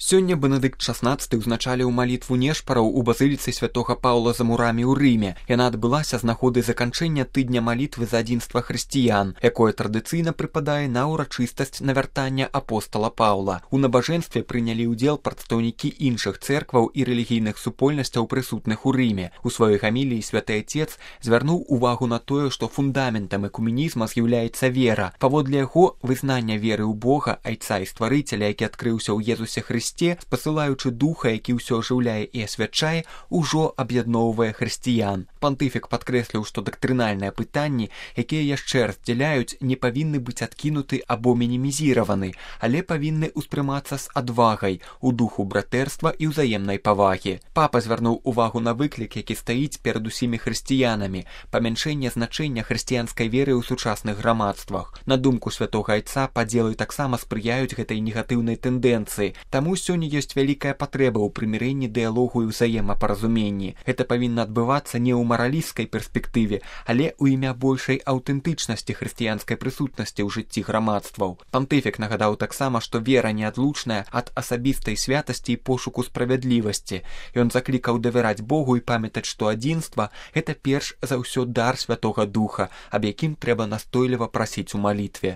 Сёння Бенедыкт XVI ўзначаліў малітву нешпараў у базыліцы святога Паўла за мурамі ў Рыме. Яна адбылася з нагоды заканчэння тыдня малітвы за адзінства хрысціян, якое традыцыйна прыпадае на ўрачыстасць навяртання апостала Паўла. У набажэнстве прынялі ўдзел прадстаўнікі іншых цэркваў і рэлігійных супольнасцяў, прысутных у Рыме. У сваёй гаміліі святы Отец звярнуў увагу на тое, што фундаментам экуменізма з'яўляецца вера. Паводле яго, вызнання веры ў Бога, Айца і Стварыцеля, які адкрыўся ў Езусе Хрысце, спасылаючы духа, які ўсё ажыўляе і асвячае, ужо аб'ядноўвае хрысціян. Пантыфік падкрэсліў, што дактрынальныя пытанні, якія яшчэ раздзяляюць, не павінны быць адкінуты або мінімізіраваны, але павінны ўспрымацца з адвагай, у духу братэрства і ўзаемнай павагі. Папа звярнуў увагу на выклік, які стаіць перад усімі хрысціянамі, памяншэнне значэння хрысціянскай веры ў сучасных грамадствах. На думку святога Айца, падзелы таксама спрыяюць гэтай негатыўнай тэндэнцыі. Таму сёння ёсць вялікая патрэба ў прымірэнні, дыялогу і ўзаемапаразуменні. Гэта павінна адбывацца не ў маралісцкай перспектыве, але ў імя большай аўтэнтычнасці хрысціянскай прысутнасці ў жыцці грамадстваў. Пантыфік нагадаў таксама, што вера неадлучная ад асабістай святасці і пошуку справядлівасці. Ён заклікаў давяраць Богу і памятаць, што адзінства – гэта перш за ўсё дар Святога Духа, аб якім трэба настойліва прасіць у малітве.